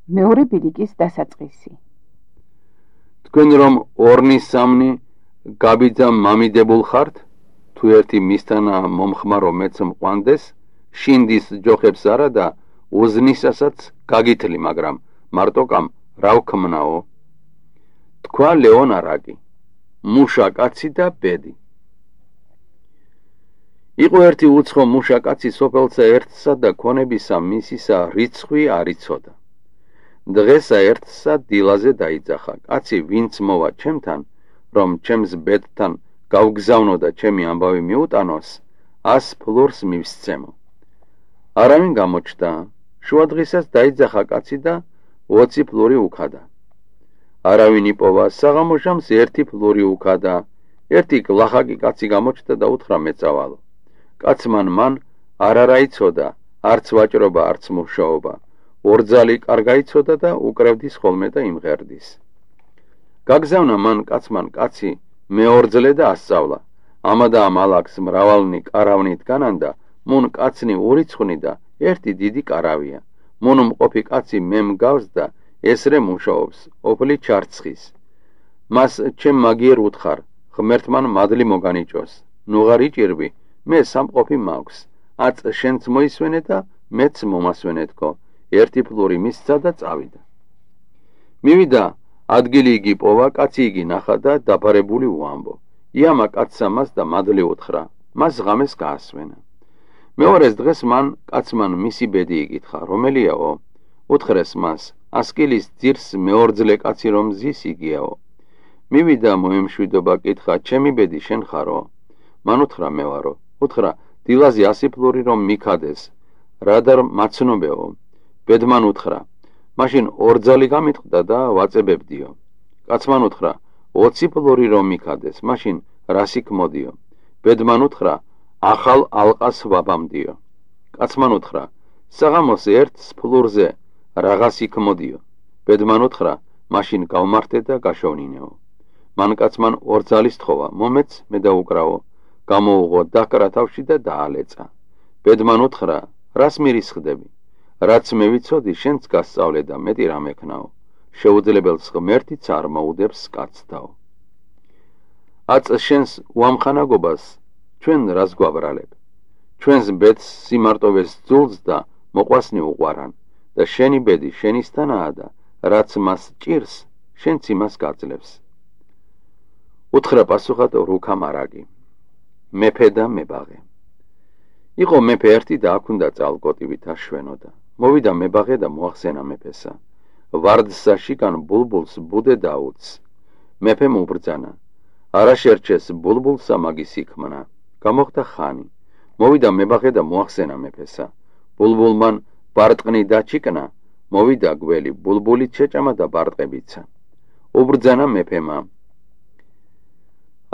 მეორე ბილიკის დასაწყისი. თქვენ რომ ორნი სამნი გაბიძა მამიდებულ ხართ, თუ ერთი მისთანა მომხმარო მეც მყვანდეს, შინდის ჯოხებს არა და უზნისასაც გაგითლი, მაგრამ მარტოკამ რა ვქმნაო? თქვა ლეონ არაკი, მუშა კაცი და ბედი. იყო ერთი უცხო მუშა კაცი სოფელსა ერთსა და ქონებისა მისისა რიცხვი არ იცოდა. დღესა ერთსა დილაზე დაიძახა, კაცი ვინც მოვა ჩემთან, რომ ჩემს ბედთან გავგზავნო და ჩემი ამბავი მიუტანოს, 100 ფლორს მივსცემო. არავინ გამოჩნდა, შუა დღისას დაიძახა კაცი და 20 ფლორი უქადა. არავინ იპოვა, საღამოშამს 1 ფლორი უქადა. ერთი გლახაკი კაცი გამოჩნდა და უთხრა მეწავალო. კაცმან მან არა იცოდა, არც ვაჭრობა, არც მუშაობა. ორძალი კარგა იცოდა და უკრევდის ხოლმე და იმღერდის. გაგზავნა მან კაცმან კაცი მეორძლე და ასწავლა. ამადა მალაკს მრავალნი კარავნით განანდა, მუნ კაცნი ურიცხვნი და ერთი დიდი კარავია. მუნ მყოფი კაცი მემგავს და ესრე მუშაობს, ოფლი ჩარცხის. მას ჩემ მაგიერ უთხარ, ღმერთმან მადლი მოგანიჭოს. ნუღარ იჭირბი, მე სამყოფი მაქვს. აწ შენც მოისვენე და მეც მომასვენე თქო. 1 ფლორი მისცა და წავიდა. მივიდა, ადგილი იგი პოვა, კაცი იგი ნახა და დაფარებული უამბო. იამა კაცსა მას და მადლი უთხრა, მას ღამეს გაასვენა. მეორეს დღეს მან კაცმან მისი ბედი იკითხა, რომელიაო? უთხრეს მას, ასკილის ძირს მეორძლე კაცი რომ ზის იგიაო. მივიდა მოემშვიდობა, კითხა, ჩემი ბედი შენ ხარო? მან უთხრა, მე ვარო. უთხრა, დილაზე 100 ფლორი რომ მიქადეს, რადარ მაცნობეო? ბედმან უთხრა, მაშინ ორძალი გამიტყდა და ვაწებებდიო. კაცმან უთხრა, 20 ფლორი რომ მიქადეს, მაშინ რას იქმოდიო? ბედმან უთხრა, ახალ ალყას ვაბამდიო. კაცმან უთხრა, საღამოს 1 ფლორზე რაღაც იქმოდიო. ბედმან უთხრა, მაშინ გავმართე და გაშოვნინეო. მან კაცმან ორძალის თხოვა, მომეც მე დაუკრავო. გამოუღო დაკრა თავში და დაალეწა. ბედმან უთხრა, რას მირისხდები? რაც მე ვიცოდი, შენც გასწავლე და მეტი რამ ექნაო. შეუძლებელს ღმერთიც არ მოუდებს კაცთაო. აწ შენს უამხანაგობას ჩვენ რას გვაბრალებ? ჩვენს ბედს სიმარტოვეს ძულს და მოყვასნი უყვარან და შენი ბედი შენისთანაა და რაც მას ჭირს, შენც იმას გაძლევს. უთხრა პასუხად რუქა მარაგი, მეფე და მებაღე. იყო მეფე ერთი და აქ უნდა წალკოტივით აშვენოდა. მოვიდა მებაღე და მოახსენა მეფესა. ვარდსა შიგან ბულბულს ბუდე დაუც. მეფემ უბრძანა, არა შერჩეს ბულბულსა მაგის იქმნა. გამოხდა ხანი. მოვიდა მებაღე და მოახსენა მეფესა. ბულბულმან ბარტყნი დაჩიკნა, მოვიდა გველი, ბულბულით შეჭამა და ბარტყებიცა. უბრძანა მეფემა,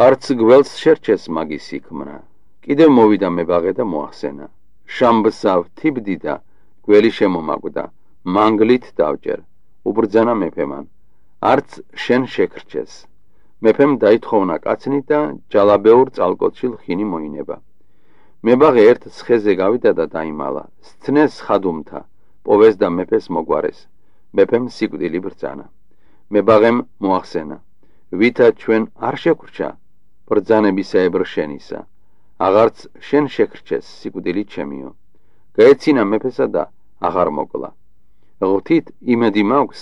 არც გველს შერჩეს მაგის იქმნა. კიდევ მოვიდა მებაღე და მოახსენა. შამბსა ვთიბდი და გველი შემომაკვდა, მანგლით დავჭერ. უბრძანა მეფემან, არც შენ შეკრჩეს. მეფემ დაითხოვნა კაცნი და ჯალაბეურ წალკოტში ლხინი მოინება. მებაღე ერთ ცხეზე გავიდა და დაიმალა. სცნეს ხადუმთა, პოვეს და მეფეს მოგვარეს. მეფემ სიკვდილი ბრძანა. მებაღემ მოახსენა, ვითა ჩვენ არ შეკრჩა, ბრძანებისაებრ შენისა. აღარც შენ შეკრჩეს სიკვდილი ჩემიო. გაეცინა მეფესა და აღარ მოკლა. ღვთით იმედი მაქვს,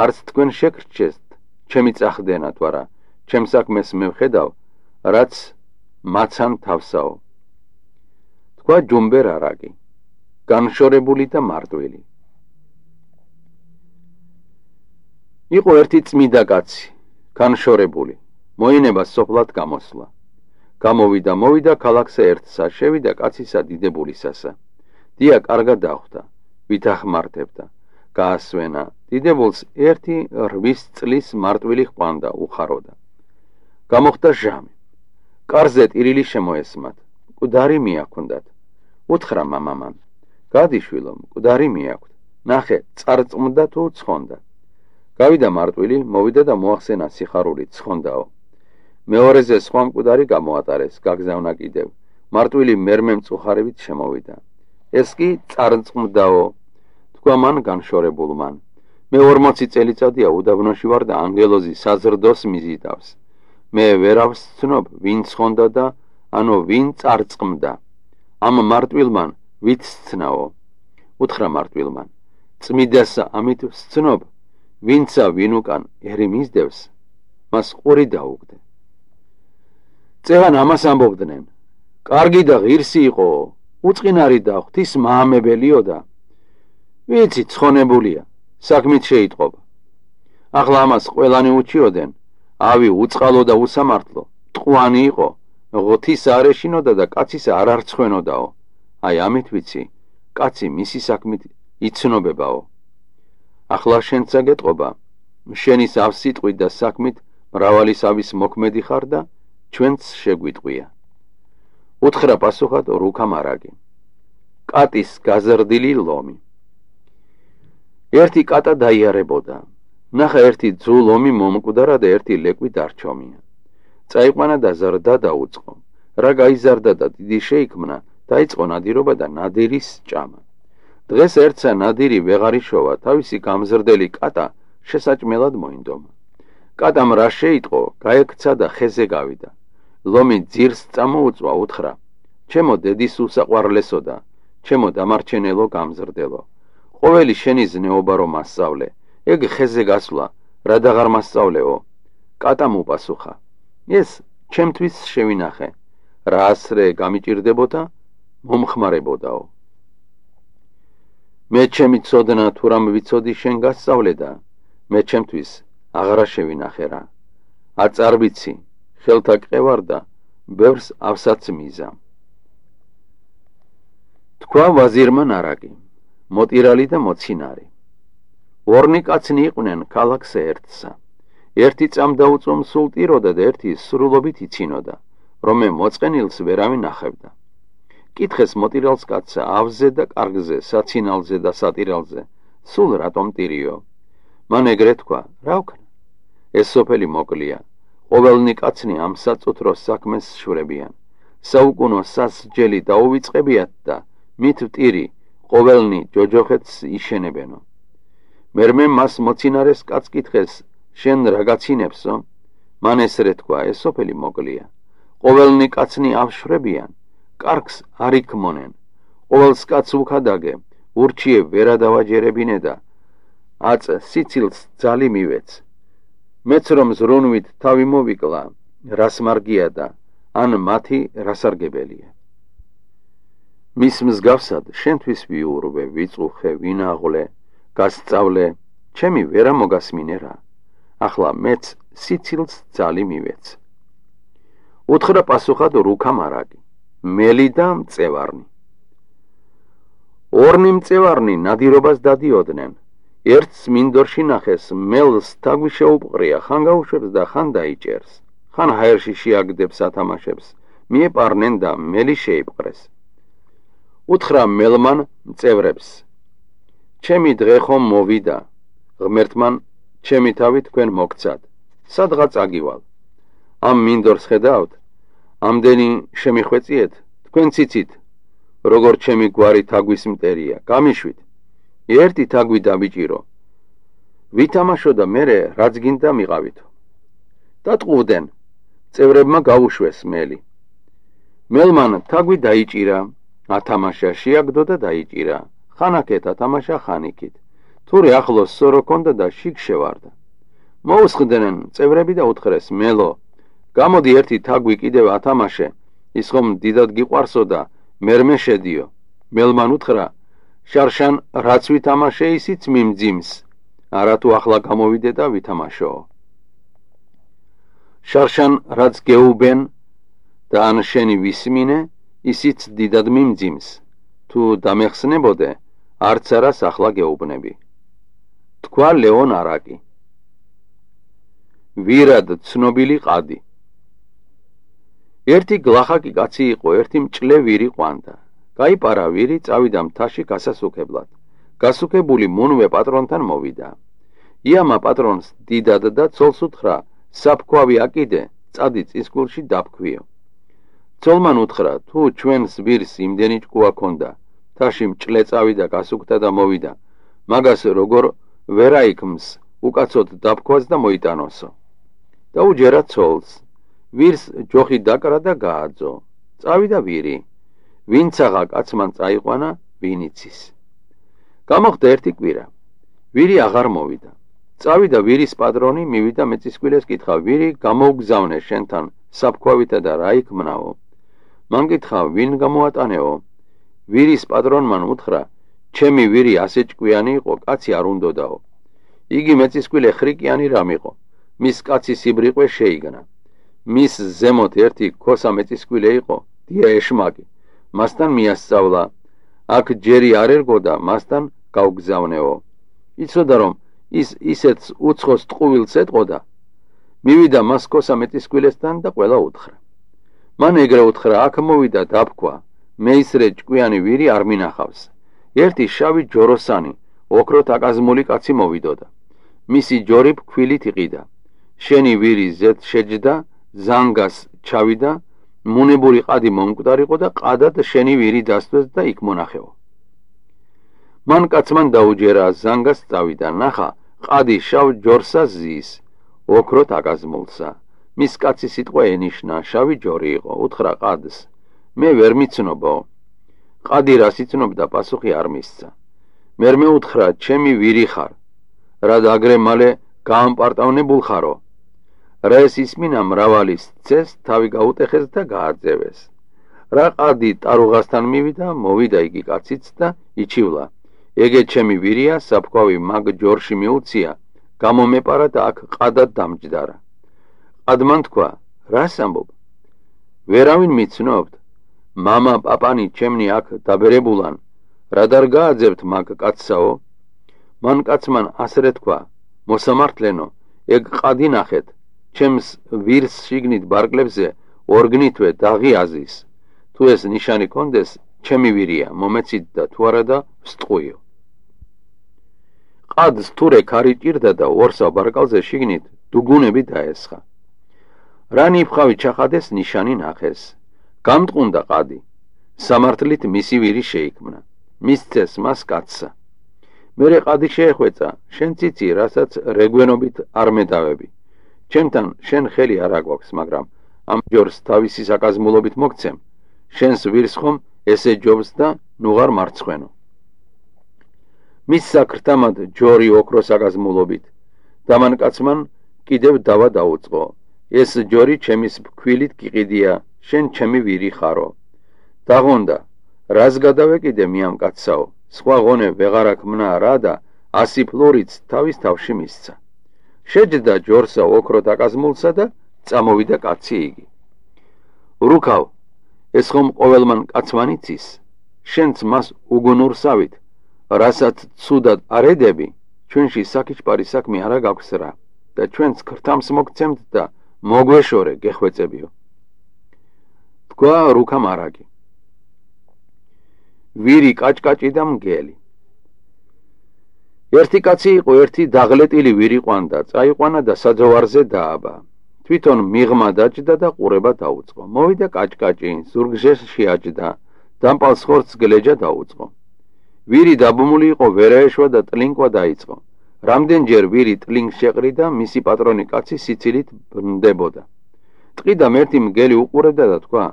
არც თქვენ შეკრჩესთ, ჩემი წახდენათ ვარა, ჩემ საქმეს მევხედავ, რაც მაცან თავსაო. თქვა ჯუმბერ არაკი, განშორებული და მარტვილი. იყო ერთი წმიდა კაცი, განშორებული, მოინება სოფლად გამოსვლა. მოვიდა ქალაქსა ერთსა, შევიდა კაცისა დიდებულისასა. დია კარგად დახვდა, ვითახმართებდა, გაასვენა. დიდებულს 8 წლის მარტვილი ჰყვანდა, უხაროდა. გამოხდა ჟამი. კარზე ტირილი შემოესმათ, მკვდარი მიაქვდათ. უთხრა მამამან, გადიშვილო, მკვდარი მიაქვთ, ნახე, წარწმდა თუ ცხონდა. გავიდა მარტვილი, მოვიდა და მოახსენა სიხარულით, ცხონდაო. მეორეზე სხვა მკვდარი გამოატარეს, გაგზავნა კიდევ. მარტვილი მერმე მწუხარებით შემოვიდა. ეს კი წარწმდაო, თქვა მან განშორებულმან. მე 40 წელიწადია უდაბნოში ვარ და ანგელოზი საზრდოს მიზიდავს. მე ვერავს ცნობ, ვინ ცხონდა და ანუ ვინ წარწყმდა. ამ მარტვილმან ვით სცნაო? უთხრა მარტვილმან, წმიდასა ამით ვსცნობ, ვინცა ვინ უკან ერი მისდევს, მას ყური დაუგდე. წეღან ამას ამბობდნენ, კარგი და ღირსი იყო, უწყინარი და ღვთის მაამებელიო და ვიცი ცხონებულია, საქმით შეიტყობა. ახლა ამას ყველანი უჩიოდენ, ავი უწყალო და უსამართლო, ტყვანი იყო, ღვთის არ ეშინოდა და კაცის არ არცხვენოდაო. აი ამით ვიცი, კაცი მისი საქმით იცნობებაო. ახლა შენცა გეტყობა, შენის ავსიტყვით და საქმით მრავალი სავის მოქმედი ხარ და ჩვენც შეგვიტყვია. უთხრა პასუხად რუქა მარაგი. კატის გაზრდილი ლომი. ერთი კატა დაიარებოდა. ნახა ერთი ძუ ლომი მომკვდარა და ერთი ლეკვი დარჩომია. წაიყვანა და ზრდა დაუწყო. რა გაიზარდა და დიდი შეიქმნა, დაიწყო ნადირობა და ნადირის ჭამა. დღეს ერთსა ნადირი ვეღარ იშოვა, თავისი გამზრდელი კატა შესაჭმელად მოინდომა. კატამ რა შეიტყო, გაექცა და ხეზე გავიდა. ლომი ძირს წამოუწვა, უთხრა, ჩემო დედის უსაყვარლესო და ჩემო დამარჩენელო გამზრდელო, ყოველი შენი ზნეობა რომ მასწავლე, ეგ ხეზე გასვლა, რა დაღარ მასწავლეო? კატამ უპასუხა, ეს ჩემთვის შევინახე, რა ასრე გამიჭირდებოდა, მომხმარებოდაო. მე ჩემი ცოდნა თუ რამ ვიცოდი შენ გასწავლე და მე ჩემთვის აღარა შევინახე რა. არ წარვიცი, ხელთა კყევარ და ბევრს ავსაც მიზა. თქვა ვაზირმა ნარაკი, მოტირალი და მოცინარი. ორნი კაცნი იყვნენ ქალაქს ერთსა. ერთი წამდაუწო მსულტიროდა და ერთი სრულობით იცინოდა, რომ მე მოწყენილს ვერავინ ახევდა. კითხეს მოტირალს კაცსა ავზე და კარგზე, საცინალზე და სატირალზე, სულ რატომ ტირიო? მან ეგრე თქვა, რა ვქნა? ეს სოფელი მოკლია, ყოველნი კაცნი ამ საწუთროს საქმეს შვრებიან. საუკუნო სასჯელი დაუვიწყებიათ და მით ვტირი, ყოველნი ჯოჯოხეთს იშენებენო. მერმე მას მოცინარეს კაც კითხეს, შენ რა გაცინებსო? მან ესრე თქვა, ეს სოფელი მოკლია, ყოველნი კაცნი ავშვრებიან, კარგს არ იქმონენ, ყოველს კაც უქადაგე, ურჩიე ვერა დავაჯერებინე და აწ სიცილს ძალი მივეც. მეც რომ ზრუნვით თავი მოვიკლა, რას მარგია და ან მათი რასარგებელია. მის მსგავსად შენთვის ვიურვე, ვიწუხე, ვინაღვლე, გასწავლე, ჩემი ვერა მოგასმინე რა. ახლა მეც სიცილს ძალი მივეც. უთხრა პასუხად რუქა მარაგი, მელი და მწევარნი. ორნი მწევარნი ნადირობას დადიოდნენ. ერთს მინდორში ნახეს, მელს თაგვი შეუპყრია, ხან გაუშვებს და ხან დაიჭერს, ხან ჰაერში შეაგდებს ათამაშებს, მიეპარნენ და მელი შეიპყრეს. უთხრა მელმან მწევრებს, ჩემი დღე ხომ მოვიდა, ღმერთმან ჩემი თავი თქვენ მოგცად, სადღაც აგივალ. ამ მინდორს ხედავთ, ამდენი შემიხვეწიეთ, თქვენ ციცით, როგორ ჩემი გვარი თაგვის მტერია, გამიშვით. ერთი თაგვი დაბიჭირო, ვითამაშო და მერე რაც გინდა მიყავითო. დატყუვდნენ, წევრებმა გაუშვეს მელი. მელმან თაგვი დაიჭირა, ათამაშა შეაგდო და დაიჭირა, ხანაკეთ ათამაშა ხანიკით. თურე ახლოს სორო ქონდა და შიგ შევარდა. მოუსხდნენ წევრები და უთხრეს, მელო, გამოდი ერთი თაგვი კიდევ ათამაშე, ის ხომ დიდად გიყვარსო და მერმე შედიო. მელმან უთხრა, შარშან რაც ვითამაშე ისიც მიმძიმს, არა თუ ახლა გამოვიდე და ვითამაშო. შარშან რაც გეუბენ და ან შენი ვისმინე, ისიც დიდად მიმძიმს, თუ დამეხსნებოდე, არც არას ახლა გეუბნები. თქვა ლეონ არაკი. ვირად ცნობილი ყადი. ერთი გლახაკი კაცი იყო, ერთი მჭლე ვირი ყვანდა. გაიპარა ვირი, წავიდა მთაში გასასუქებლად. გასუქებული მუნვე პატრონთან მოვიდა. იამა პატრონს დიდად და ცოლს უთხრა, საფქვავი აკიდე, წადი წისქვილში დაფქვიო. ცოლმან უთხრა, თუ ჩვენს ვირს იმდენი ჭკუა ქონდა, მთაში მჭლე წავიდა, გასუქდა და მოვიდა, მაგას როგორ ვერაიქმს უკაცოდ დაფქვას და მოიტანოსო. დაუჯერა ცოლს, ვირს ჯოხი დაკრა და გააძო. წავიდა ვირი, ვინცაღა კაცმან წაიყვანა, ვინ იცის. გამოხდა ერთი კვირა, ვირი აღარ მოვიდა. წავიდა ვირის პატრონი, მივიდა მეწისქვილეს კითხა, ვირი გამოუგზავნე შენთან საფქვავითა და რა იქმნაო. მან კითხა, ვინ გამოატანეო? ვირის პატრონმა უთხრა, ჩემი ვირი ასე ჭკვიანი იყო, კაცი არ უნდოდაო. იგი მეწისქვილე ხრიკიანი რამ იყო, მის კაცი სიბრიყვე შეიგნა. მის ზემოთ ერთი ქოსა მეწისქვილე იყო, დია ეშმაკი. მასთან მიასწავლა, აქ ჯერი არ ერგო და მასთან გავგზავნეო. იცოდა რომ ის ისეთს უცხოს ტყუვილს ეტყოდა. მივიდა მას ქოსა მეწისქვილესთან და ყველა უთხრა. მან ეგრე უთხრა, აქ მოვიდა დაფქვა, მე ისრე ჭკვიანი ვირი არ მინახავს. ერთი შავი ჯოროსანი, ოქროთ აკაზმული კაცი მოვიდოდა. მისი ჯორი ფქვილით იყიდა. შენი ვირი ზეთ შეჯდა, ზანგას ჩავიდა, მუნებული ყადი მომკვდარიყო და ყადად შენი ვირი დასწვეს და იქ მონახეო. მან კაცმან დაუჯერა, ზანგას წავიდა, ნახა, ყადი შავ ჯორსა ზის, ოქროთ აკაზმულსა. მის კაცი სიტყვა ენიშნა, შავი ჯორი იყო, უთხრა ყადს, მე ვერ მიცნობო. ყადი რას იცნობდა, პასუხი არ მისცა. მერმე უთხრა, ჩემი ვირი ხარ, რა დაგრე მალე გაამპარტავნებულ ხარო. რა ეს ისმინა მრავალის წეს თავი გაუტეხეს და გააძევეს. რა ყადი ტარუღასთან მივიდა, მოვიდა იგი კაციც და იჩივლა. ეგე ჩემი ვირია, საფქვავი მაგ ჯორში მიუცია, გამომეპარა და აქ ყადად დამჯდარა. ყადმან თქვა, რას ამბობ? ვერავინ მიცნობთ, მამა პაპანი ჩემნი აქ დაბერებულან, რა დარ გააძებთ მაგ კაცსაო? მან კაცმან ასრე თქვა, მოსამართლენო, ეგ ყადი ნახეთ, ჩემს ვირს შიგნით ბარკლებზე ორგნითვე დაღი აზის. თუ ეს ნიშანი კონდეს, ჩემი ვირია, მომეცით და თუ არა და ვსტყუიო. ყადს თურე ქარი ჭირდა და ორსა ბარკალზე შიგნით დუგუნები დაესხა. რა ნიფხავი ჩახადეს, ნიშანი ნახეს. გამტყუნდა ყადი, სამართლით მისი ვირი შეიქმნა, მისცეს მას კაცსა. მერე ყადი შეეხვეწა, შენ ციცი, რასაც რეგვენობით არ მედავები. ჩემთან შენ ხელი არ აგვაქვს, მაგრამ ამ ჯორს თავისი საკაზმულობით მოგცემ. შენს ვირს ხომ ესე ჯობს და ნუღარ მარცხვენო. მის საკრთამად ჯორი ოქროს აკაზმულობით. დამან კაცმან კიდევ დავა დაუწყო. ეს ჯორი ჩემის ფქვილით გიყიდია, შენ ჩემი ვირი ხარო. დაღონდა, რას გადავეკიდე მე ამ კაცსაო, სხვა ღონე ვეღარ აქ მნა რა და 100 ფლორიც თავის თავში მისცა. შეჯდა ჯორსა ოქროთ აკაზმულსა და წამოვიდა კაცი იგი. რუქავ, ეს ხომ ყოველმან კაცმან იცის, შენც მას უგუნურსავით, რასაც ცუდად არ ედები, ჩვენში საკიჩპარი საქმე არა გაქვს რა და ჩვენც ქრთამს მოგცემთ და მოგვეშორე გეხვეწებიო. თქვა რუქა მარაგი. ვირი კაჭკაჭი და მგელი. ერთი კაცი იყო, ერთი დაღლეტილი ვირი ყვანდა, წაიყვანა და საძოვარზე დააბა. თვითონ მიღმა დაჭდა და ყურება დაუწყო. მოვიდა კაჭკაჭი, ზურგჟეს შეაჭდა, დამპალს ხორცს გლეჯა დაუწყო. ვირი დაბმული იყო, ვერაეშვა და ტლინკვა დაიწყო. რამდენჯერ ვირი ტლინკს შეყრიდა, მისი პატრონი კაცი სიცილით ბრნდებოდა. ტყიდა მერთი მგელი უყურებდა და თქვა,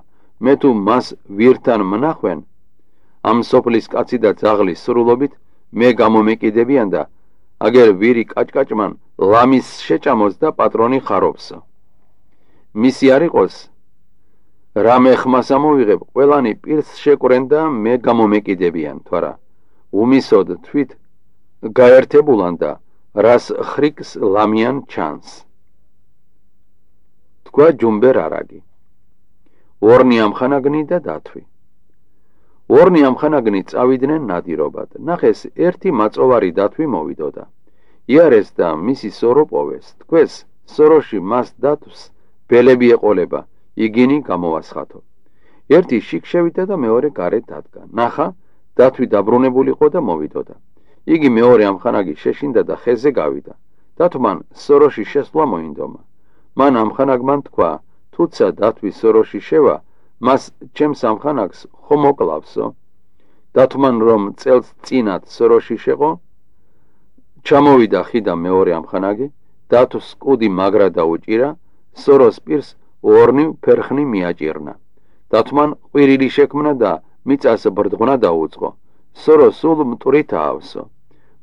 მე თუ მას ვირთან მნახვენ, ამ სოფლის კაცი და ძაღლის სრულობით მე გამომეკიდებიან და აგერ ვირი კაჭკაჭმან ლამის შეჭამოს და პატრონი ხარობსო. მისი არ იყოს, რამე ხმას ამოვიღებ, ყველანი პირს შეკვრენ და მე გამომეკიდებიან, თვარა უმისოდ თვით გაერთებულან და რას ხრიკს ლამიან ჩანს. თქვა ჯუმბერ არაგი. ორნი ამხანაგნი და დათვი. ორნი ამხანაგნი წავიდნენ ნადირობად. ნახეს, ერთი მაწოვარი დათვი მოვიდოდა. იარეს და მისი სორო პოვეს. თქვეს, სოროში მას დათვს ბელები ეყოლება, იგინი გამოვასხათო. ერთი შიგ შევიდა და მეორე გარეთ დადგა. ნახა, დათვი დაბრუნებულიყო და მოვიდოდა. იგი მეორე ამხანაგი შეშინდა და ხეზე გავიდა. დათვმან სოროში შესვლა მოინდომა. მან ამხანაგმან თქვა, თუცა დათვი სოროში შევა, მას ჩემს ამხანაგს ხომ მოკლავსო? დათვმან რომ წელს წინათ სოროში შეყო, ჩამოვიდა ხიდან მეორე ამხანაგი, დათოს კუდი მაგრა დაუჭირა, სოროს პირს ორნივ ფერხნი მიაჭირნა. დათმან ყვირილი შექმნა და მიწას ბრდღნა დაუწყო. სორო სულ მტვრით აავსო.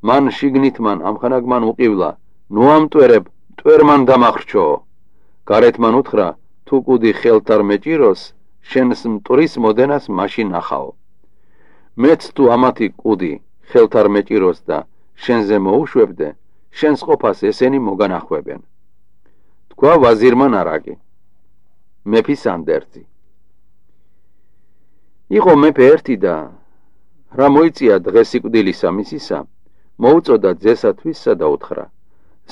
მან შიგნით მან ამხანაგმან უყივლა, ნუ ამტვერებ, მტვერმან დამახრჩო. გარეთ მან უთხრა, თუ კუდი ხელთ არ მეჭიროს, შენს მტვრის მოდენას მაშინ ახაო. მეც თუ ამათი კუდი ხელთ არ მეჭიროს და შენზე მოუშვებდე, შენს ყოფას ესენი მოგანახვებენ. თქვა ვაზირმა ნარაკი, მეფის ანდერძი. იყო მეფე ერთი და რა მოიწია დღეს სიკვდილისა მისისა, მოუწოდა ძესათვისა და უთხრა,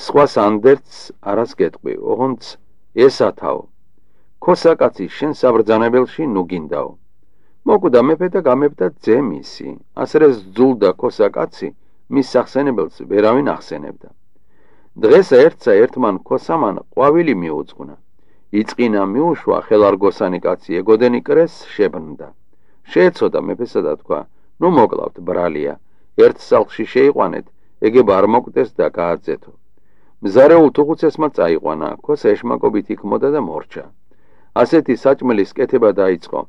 სხვას ანდერძს არას გეტყვი, ოღონდ ესათაო. ქოსაკაცი შენ საბრძანებელში ნუ გინდაო. მოკვდა მეფე და გამებდა ძე მისი, ასრეს ძულდა ქოსაკაცი, მის სახსენებელს ვერავინ ახსენებდა. დღეს ერთსა ერთმან ქოსამან ყვავილი მიუძღვნა. იწყინა მიუშვა ხელარგოსანი კაცი ეგოდენი კრეს შებრნდა. შეეცოდა მეფესა და თქვა, ნუ მოკლავთ ბრალია, ერთ სახლში შეიყვანეთ, ეგება არ მოკვდეს და გააძეთო. მზარეულ თუხუცესმა წაიყვანა, ქოსა ეშმაკობით იქმოდა და მორჩა. ასეთი საჭმლის კეთება დაიწყო.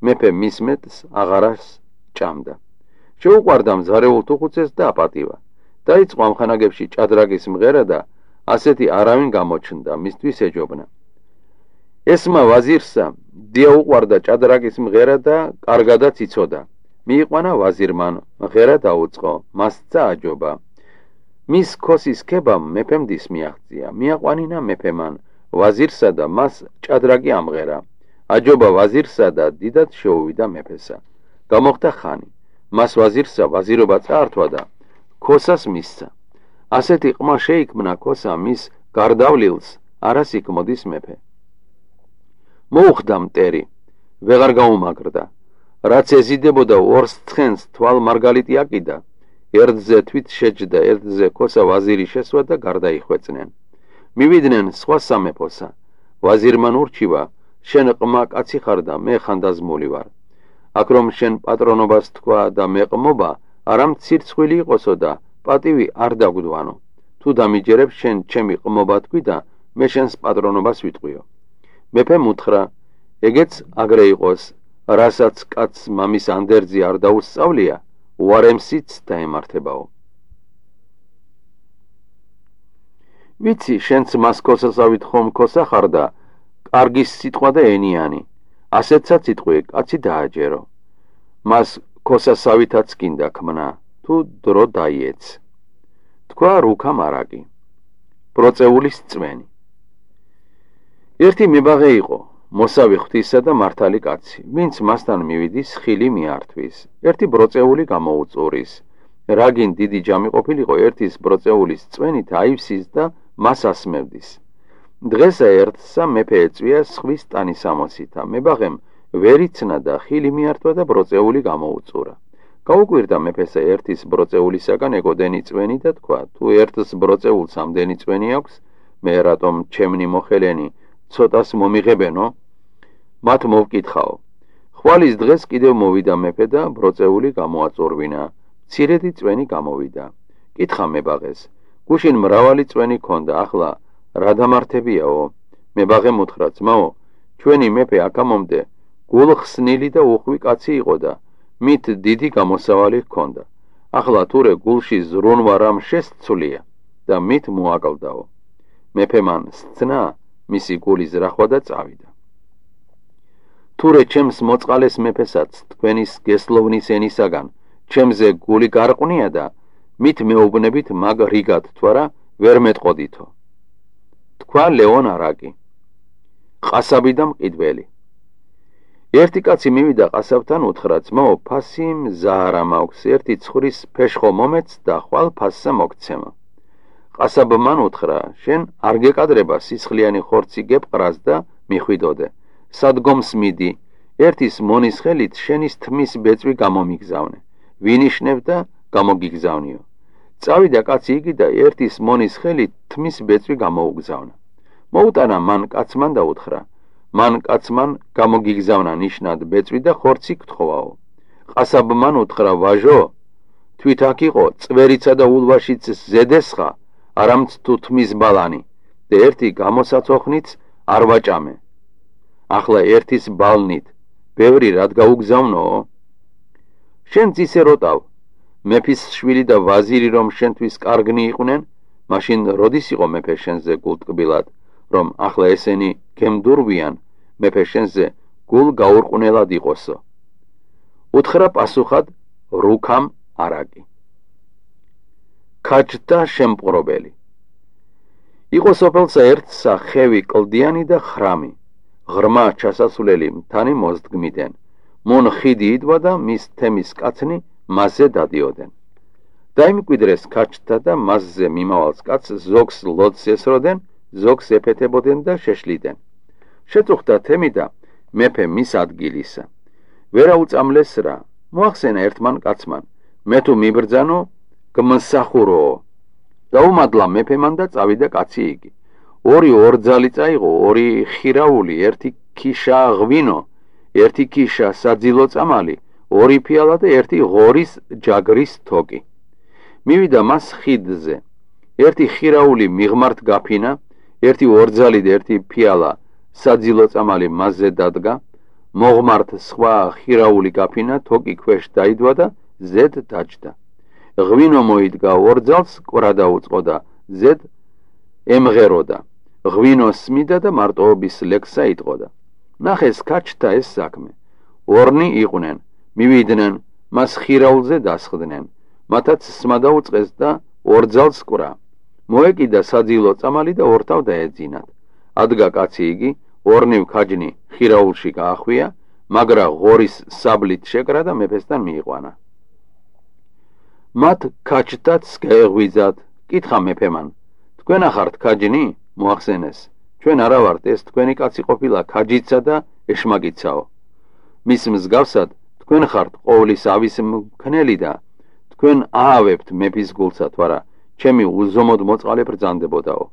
მეფე მის მეტს აღარას ჭამდა. შეუყვარდა მზარეულ თუხუცეს და აპატივა. დაიწყო ამხანაგებში ჭადრაგის მღერა და ასეთი არავინ გამოჩნდა, მისთვის ეჯობნა. ესმა ვაზირსა დია უყვარდა ჭადრაგის მღერა და კარგადაც იცოდა. მიიყვანა ვაზირმან, მღერა დაუწყო, მასცა აჯობა. მის ქოსის ქებამ მეფემ დის მიაღწია. მიაყვანინა მეფემან ვაზირსა და მას ჭადრაგი ამღერა. აჯობა ვაზირსა და დიდად შეუვიდა მეფესა. გამოხდა ხანი. მას ვაზირსა ვაზირობა წაართვა და ქოსას მისცა. ასეთი ყმა შეიქმნა ქოსა მის გარდავლილს არას იქმოდის მეფე. მოუხდა მტერი, ვეღარ გაუმაგრდა. რაც ეზიდებოდა ორს ცხენს თვალ მარგალიტი აკიდა. ერთზე თვით შეჯდა, ერთზე ქოსა ვაზირი შესვა და გარდაიხვეწნენ. მივიდნენ სხვა სამეფოსა. ვაზირმან ურჩივა, შენ ყმა კაცი ხარ და მე ხანდაზმული ვარ. აქ რომ შენ პატრონობას თქვა და მეყმობა, არა მცირცხვილი იყოსო და პატივი არ დაგვდვანო. თუ დამიჯერებ შენ ჩემი ყმობა თქვი და მე შენს პატრონობას ვიტყვიო. მეფემ უთხრა, ეგეც აგრე იყოს, რასაც კაცს მამის ანდერძი არ დაუსწავლია, უარემსიც დაემართებაო. ვიცი, შენც მას ქოსასავით ხომ ქოსა ხარ და კარგის სიტყვა და ენიანი. ასეთსაც იტყვი, კაცი დააჯერო. მას ქოსასავითაც გინდა ქმნა, თუ დრო დაიეც. თქვა რუქა მარაკი, ბროწეულის წვენი. ერთი მებაღე იყო, მოსავი ღვთისა და მართალი კაცი, ვინც მასთან მივიდის ხილი მიართვის. ერთი ბროწეული გამოუწურის. რაგინ დიდი ჯამი ყოფილიყო, ერთის ბროწეულის წვენით აივსის და მას ასმევდის. დღესა ერთსა მეფე ეწვია სხვის ტანის ამოსითა. მებაღემ ვერ იცნა და ხილი მიართვა და ბროწეული გამოუწურა. გაუკვირდა მეფესა ერთის ბროწეულისაგან ეგოდენი წვენი და თქვა, თუ ერთს ბროწეულს ამდენი წვენი აქვს, მე რატომ ჩემნი მოხელენი ცოტას მომიღებენო? მათ მოვკითხაო. ხვალის დღეს კიდევ მოვიდა მეფე და ბროწეული გამოაწურვინა. მცირედი წვენი გამოვიდა. კითხა მებაღეს, გუშინ მრავალი წვენი ქონდა, ახლა რა დამართებიაო? მებაღემ უთხრა, ძმაო, ჩვენი მეფე აქამომდე გულხსნილი და უხვი კაცი იყო და მით დიდი გამოსავალი ჰქონდა. ახლა თურე გულში ზრუნვა რამ შესცვლია და მით მოაკლდაო. მეფე მან სცნა მისი გული ზრახვა და წავიდა. თურე ჩემს მოწყალეს მეფესაც თქვენის გესლოვნის ენისაგან ჩემზე გული გარყვნია და მით მეუბნებით მაგ რიგად თუ არა ვერ მეტყოდითო. თქვა ლეონ არაკი, ყასაბი და მყიდველი. ერთი კაცი მივიდა ყასაბთან, უთხრა, ძმაო, ფასი მზარა მაქვს, ერთი ცხრის ფეშხო მომეც და ხვალ ფასსა მოგცემა. ყასაბმან უთხრა, შენ არ გეკადრება სისხლიანი ხორცი გეპყრას და მიხვიდოდე. სადგომს მიდი, ერთის მონის ხელით შენის თმის ბეწვი გამომიგზავნე. ვინიშნებ და გამოგიგზავნიო. წავიდა კაცი იგი და ერთის მონის ხელით თმის ბეწვი გამოუგზავნა. მოუტანა მან კაცმან და უთხრა, მან კაცმან გამოგიგზავნა ნიშნად ბეწვი და ხორცი გთხოვაო. ყასაბმან უთხრა, ვაჟო, თვით აქ იყო წვერიცა და ულვაშიც ზედესხა, არამც თუთმის ბალანი და ერთი გამოსაცოხნიც არ ვაჭამე. ახლა ერთის ბალნით ბევრი რად გაუგზავნო? შენც ისე როტავ, მეფის შვილი და ვაზირი რომ შენთვის კარგნი იყვნენ, მაშინ როდის იყო მეფე შენზე გულტკბილად, რომ ახლა ესენი გემდურვიან, მეფე შენზე გულ გაურყვნელად იყოსო. უთხრა პასუხად რუქამ არაკი. ქაჯთა შემპყრობელი. იყო სოფელსა ერთსა ხევი კლდიანი და ხრამი, ღრმა ჩასასვლელი მთანი მოსდგმიდან, მონ ხიდი იდვა და მის თემის კაცნი მასზე დადიოდნენ. დაიმკვიდრეს ქაჯთა და მასზე მიმავალს კაცს ზოგს ლოდს ესროდნენ, ზოგს ეფეთებოდნენ და შეშლიდნენ. შეწუხდა თემი და მეფე მის ადგილისა. ვერა უწამლეს რა, მოახსენა ერთმან კაცმან, მე თუ მიბრძანო, გმსახუროო. დაუმადლა მეფემან და წავიდა კაცი იგი. ორი ორძალი წაიღო, ორი ხირავული, ერთი ქიშა ღვინო, ერთი ქიშა საძილო წამალი, ორი ფიალა და ერთი ღორის ჯაგრის თოკი. მივიდა მას ხიდზე. ერთი ხირავული მიღმართ გაფინა, ერთი ორძალი და ერთი ფიალა საძილო წამალი მასზე დადგა, მოღმართ სხვა ხირავული გაფინა, თოკი ქვეშ დაიდვა და ზედ დაჯდა. ღვინო მოიდგა ორძალს, ყვრა დაუწყო და ზედ ემღეროდა. ღვინო სმიდა და მარტოობის ლექსა იტყოდა. ნახეს ქაჯთა ეს საქმე. ორნი იყვნენ, მივიდნენ, მას ხირავულზე დასხდნენ, მათაც სმა დაუწყეს და ორძალს ყვრა. მოეკიდა საძილო წამალი და ორთავ დაეძინათ. ადგა კაცი იგი, ორნივ ქაჯნი ხირავულში გაახვია, მაგრა ღორის საბლით შეკრა და მეფესთან მიიყვანა. მათ ქაჯთაც გაეღვიძათ, კითხა მეფემან, თქვენ ახართ ქაჯნი? მოახსენეს, ჩვენ არა ვართ, ეს თქვენი კაცი ყოფილა ქაჯიცა და ეშმაკიცაო. მის მსგავსად თქვენ ხართ ყოვლის ავის მქნელი და თქვენ აავებთ მეფის გულსა, თვარა ჩემი უზომოდ მოწყალე ბრძანდებოდაო.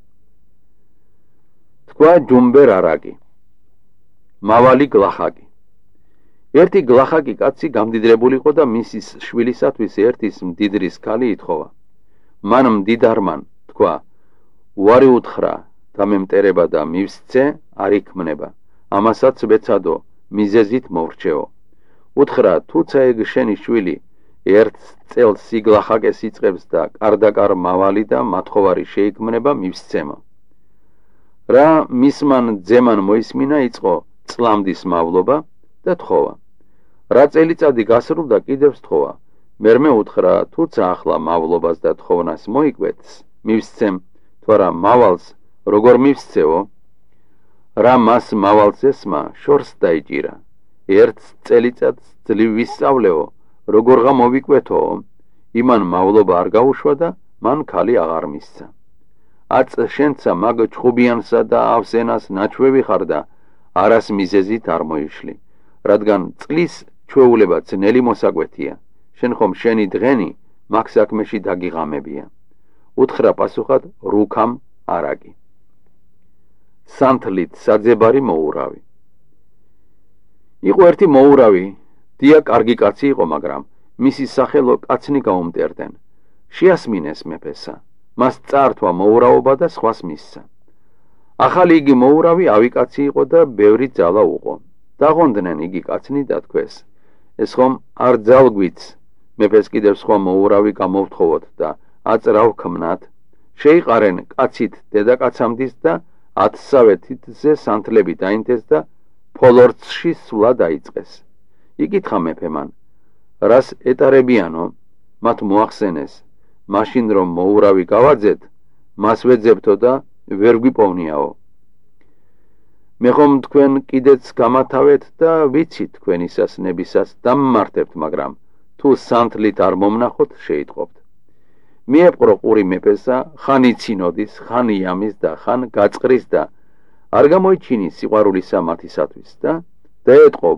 თქვა ჯუმბერ არაკი. მავალი გლახაკი. ერთი გლახაკი კაცი გამდიდრებული იყო და მისის შვილისათვის ერთის მდიდრის ქალი ითხოვა. მან მდიდარმან თქვა, უარი უთხრა, დამემტერება და მივსცე არ იქმნება, ამასაც ვეცადო, მიზეზით მოვრჩეო. უთხრა, თუცა ეგ შენი შვილი ერთ წელს სიგლახაკეს იწყებს და კარდაკარ მავალი და მათხოვარი შეიქმნება, მივსცემო. რა მისმან ძემან მოისმინა, იწყო წლამდის მავლობა და თხოვა. რა წელიწადი გასრულდა, კიდევ თხოვა. მერმე უთხრა, თუცა ახლა მავლობას და თხოვნას მოიკვეთს, მივსცემ, თვარა მავალს როგორ მივსცეო? რა მას მავალს ესმა შორს დაიჭირა. ერთ წელიწადს ძლივ ვისწავლეო, როგორღა მოვიკვეთო? იმან მავლობა არ გაუშვა და მან ქალი აღარ მისცა. აწ შენცა მაგ ჩხუბიანსა და ავსენას ნაჩვევი ხარ და არას მიზეზით არ მოიშლი, რადგან წყლის ჩვეულება ძნელი მოსაკვეთია, შენ ხომ შენი დღენი მაგ საქმეში დაგიღამებია. უთხრა პასუხად რუქამ არაკი. სანთლით საძებარი მოურავი. იყო ერთი მოურავი, დია კარგი კაცი იყო, მაგრამ მისი სახელო კაცნი გაუმტერდნენ. შეასმინეს მეფესა, მას წართვა მოურავობა და სხვას მისცა. ახალი იგი მოურავი ავიკაცი იყო და ბევრი ძალა უყო. დაღონდნენ იგი კაცნი და თქვეს, ეს ხომ არ ძალგვიც, მეფეს კიდევ სხვა მოურავი გამოვთხოვოთ და აწრავ ქმნათ, შეიყარენ კაცით დედაკაცამდის და 10 თითზე სანთლები დაინთეს და ფოლორცში სვლა დაიწყეს. იკითხა მეფემან, რას ეტარებიანო? მათ მოახსენეს, მაშინ რომ მოურავი გავაძეთ, მას ვეძებთო და ვერ გვიპოვნიაო. მე ხომ თქვენ კიდეც გამათავეთ და ვიცით თქვენისას ნებისას დამმართებთ, მაგრამ თუ სანთლით არ მომნახოთ, შეიტყობთ. მიეპყრო ყური მეფესა, ხან იცინოდის, ხან იამის და ხან გაწყრის და არ გამოიჩინის სიყვარულისა მათისათვის და დაეტყო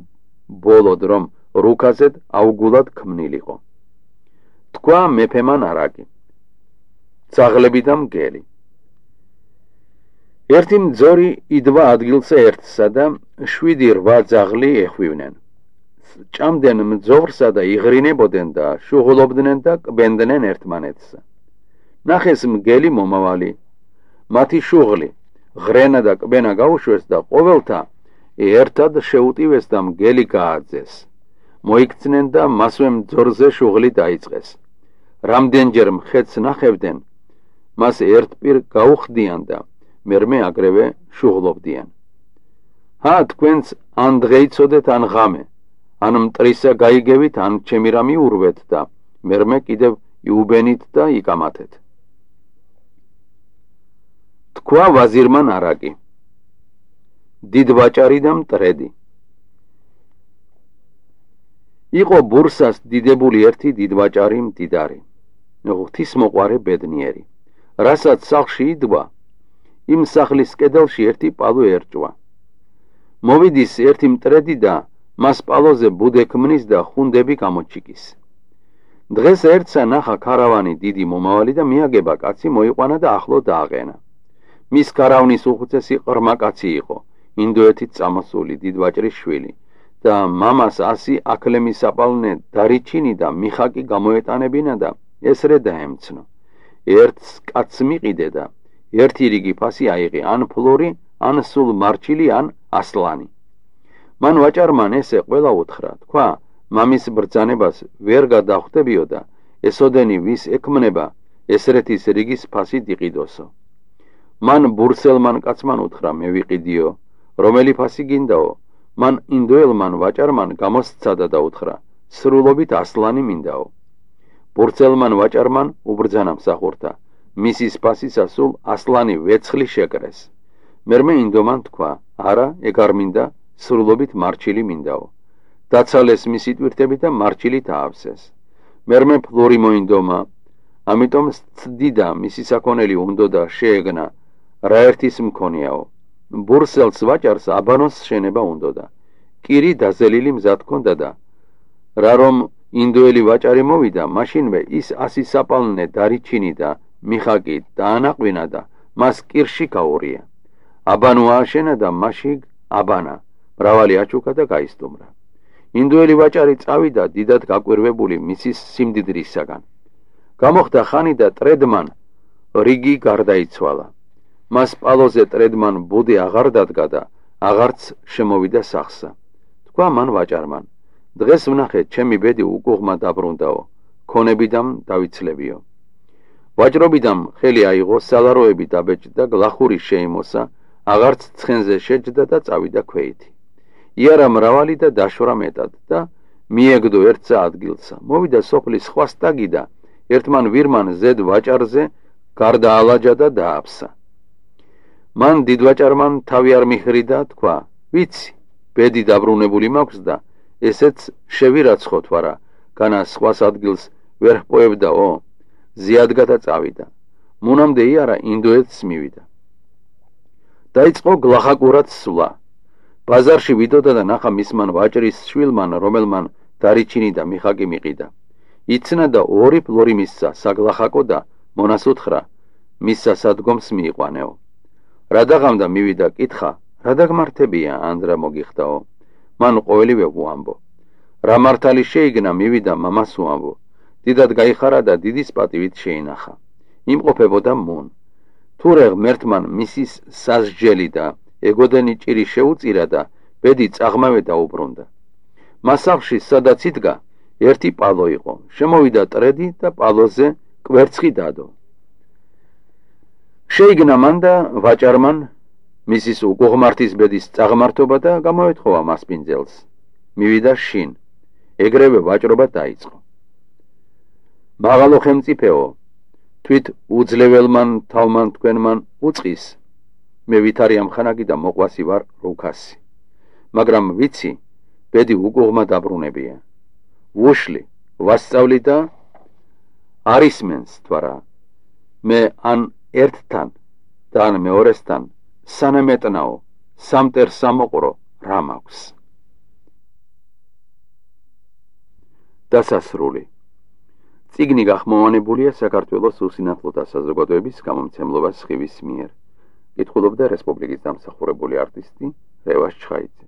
ბოლოდ, რომ რუქაზედ აუგულად ქმნილიყო. თქვა მეფემან არაკი. ძაღლები და მგელი. ერთი მძორი იდვა ადგილსა ერთსა და 7-8 ძაღლი ეხვივნენ. ჭამდნენ მძოვრსა და იღრინებოდნენ და შუღლობდნენ და კბენდნენ ერთმანეთს. ნახეს მგელი მომავალი, მათი შუღლი, ღრენა და კბენა გაუშვეს და ყოველთა ერთად შეუტივეს და მგელი გააძეს. მოიქცნენ და მასვე მძორზე შუღლი დაიწყეს. რამდენჯერ მხეთს ნახებდნენ, მას ერთპირ გაუხდიან და მერმე აგრევე შუღლობდიან. ჰა, თქვენც ან დღეიცოდეთ ან ღამე, ან მტრისა გაიგევით, ან ჩემი რამი ურვეთ და მერმე კიდევ იუბენით და იკამათეთ. თქვა ვაზირმა ნარაკი, დიდვაჭარი და მტრედი. იყო ბურსას დიდებული ერთი დიდვაჭარი მდიდარი, ღვთისმოყვარე ბედნიერი. რასაც სახლში იდვა, იმ სახლის კედელში ერთი პალო ერჭვა. მოვიდის ერთი მტრედი და მას პალოზე ბუდე ქმნის და ხუნდები გამოჩიკის. დღეს ერთსა ნახა ქარავანი დიდი მომავალი და მიაგება კაცი მოიყვანა და ახლო დააყენა. მის ქარავნის უხუცესი ყრმა კაცი იყო, ინდოეთით წამოსული დიდვაჭრის შვილი და მამას 100 აკლემი საპალნე დარიჩინი და მიხაკი გამოეტანებინა და ესრე დაემცნო. ერთს კაცს მიყიდე და ერთი რიგი ფასი აიღე, ან ფლორი, ან სულ მარჩილი, ან ასლანი. მან ვაჭარმან ესე ყველა უთხრა, თქვა, მამის ბრძანებას ვერ გადახვდებიო და ესოდენი ვის ექმნება, ესრეთის რიგის ფასი დიყიდოსო. მან ბურსელმან კაცმან უთხრა, მე ვიყიდიო, რომელი ფასი გინდაო? მან ინდოელმან ვაჭარმან გამოსცადა და უთხრა, სრულობით ასლანი მინდაო. ბურსელმან ვაჭარმან უბრძანა მსახურთა, მისის ფასისა სულ ასლანი ვეცხლი შეკრეს. მერმე ინდომან თქვა, არა, ეგ არ მინდა, სრულობით მარჩილი მინდაო. დაცალეს მისი ტვირთები და მარჩილი დაავსეს. მერმე ფლორი მოინდომა, ამიტომ ცდიდა მისი საქონელი უნდა და შეეგნა, რა ერთის მქონიაო. ბურსელს ვაჭარს აბანოს შენება უნდა და კირი დაზელილი მზად ჰქონდა და რა რომ ინდოელი ვაჭარი მოვიდა, მაშინვე ის 100 საპალნე დარიჩინი და მიხაკი დაანაყვინა და მას კირში გაურია. აბანო ააშენა და მასში აბანა, მრავალი აჩუქა და გაისტუმრა. ინდოელი ვაჭარი წავიდა დიდად გაკვირვებული მისის სიმდიდრისაგან. გამოხდა ხანი და ტრედმან რიგი გარდაიცვალა. მას პალოზე ტრედმან ბუდე აღარ დადგა და აღარც შემოვიდა სახსა. თქვა მან ვაჭარმან, დღეს ვნახე, ჩემი ბედი უკუღმა დაბრუნდაო, ქონებიდამ დავიცლებიო. ვაჭრობიდამ ხელი აიღო, სალაროები დაბეჭდა, გლახური შეიმოსა, აღარც ცხენზე შეჯდა და წავიდა ქვეითი. იარა მრავალი და დაშორა მეტად და მიეგდო ერთსა ადგილსა. მოვიდა სოფლის სხვა სტაგი და ერთმან ვირმან ზედ ვაჭარზე გარდაალაჯა და დააფსა. მან დიდვაჭარმან თავი არ მიხრიდა, თქვა, ვიცი, ბედი დაბრუნებული მაქვს და ესეც შევირაცხოთ ვარა, განა სხვას ადგილს ვერ ჰპოებდაო. ზიადგა და წავიდა. მონამდე იარა ინდოეთს მივიდა. დაიწყო გლახაკურად სვლა. ბაზარში ვიდოდა და ნახა მისმან ვაჭრის შვილმან, რომელმან დარიჩინი და მიხაკი მიყიდა. იცნა და 2 ფლორი მისცა საგლახაკო და მონას უთხრა, მისცა სადგომს მიიყვანეო. რა დაღამდა მივიდა, კითხა, რა დაგმართებია, ანდრა მოგიხდაო. მან ყოველივე უამბო. რა მართალი შეიგნა, მივიდა მამას უამბო. დიდად გაიხარა და დიდის პატივით შეინახა. იმყოფებოდა მუნ. თურე ღმერთმან მისის სასჯელი და ეგოდენი ჭირი შეუწირა და ბედი წაღმავე დაუბრუნდა. მასახში სადაც იდგა, ერთი პალო იყო. შემოვიდა ტრედი და პალოზე კვერცხი დადო. შეიგნა მან და ვაჭარმან მისის უკუღმართის ბედის წაღმართობა და გამოეთხოვა მასპინძელს. მივიდა შინ, ეგრევე ვაჭრობა დაიწყო. მაღალო ხელმწიფეო, თვით უძლეველმან თავმან თქვენმან უწყის, მე ვითარი ამხანაგი და მოყვასი ვარ რუქასი. მაგრამ ვიცი, ბედი უკუღმა დაბრუნებია. ვუშლი, ვასწავლი და არისმენს თვარა. მე ან ერთთან და ან მეორესთან სანემეტნაო, სამტერ სამოყრო რა მაქვს. დასასრული. წიგნი გახმოვანებულია საქართველოს უსინათლოთა საზოგადოების გამომცემლობა სხივის მიერ. კითხულობდა რესპუბლიკის დამსახურებული არტისტი რევას ჩხაიძე.